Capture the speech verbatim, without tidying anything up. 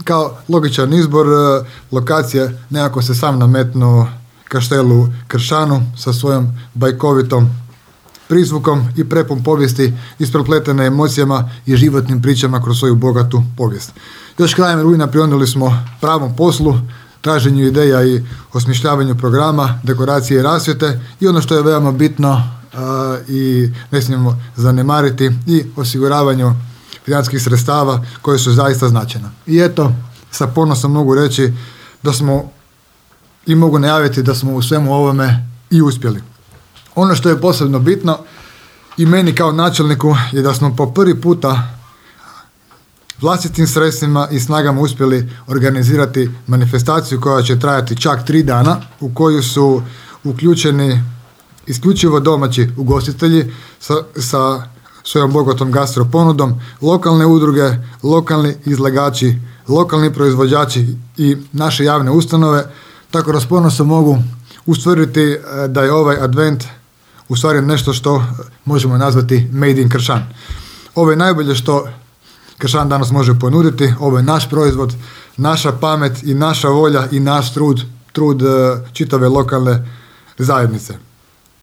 kao logičan izbor lokacije nekako se sam nametnuo kaštelu Kršanu sa svojom bajkovitom prizvukom i prepun povijesti isprepletene emocijama i životnim pričama kroz svoju bogatu povijest. Još krajem rujna prionuli smo pravom poslu, traženju ideja i osmišljavanju programa, dekoracije i rasvjete i ono što je veoma bitno uh, i ne smijemo zanemariti i osiguravanju financijskih sredstava koje su zaista značajna. I eto, sa ponosom mogu reći da smo i mogu najaviti da smo u svemu ovome i uspjeli. Ono što je posebno bitno i meni kao načelniku je da smo po prvi puta vlastitim sredstvima i snagama uspjeli organizirati manifestaciju koja će trajati čak tri dana u koju su uključeni isključivo domaći ugostitelji sa, sa svojom bogatom gastro ponudom, lokalne udruge, lokalni izlagači, lokalni proizvođači i naše javne ustanove. Tako da s ponosom mogu ustvrditi da je ovaj advent u stvari nešto što možemo nazvati Made in Kršan. Ovo je najbolje što Kršan danas može ponuditi, ovo je naš proizvod, naša pamet i naša volja i naš trud, trud čitave lokalne zajednice.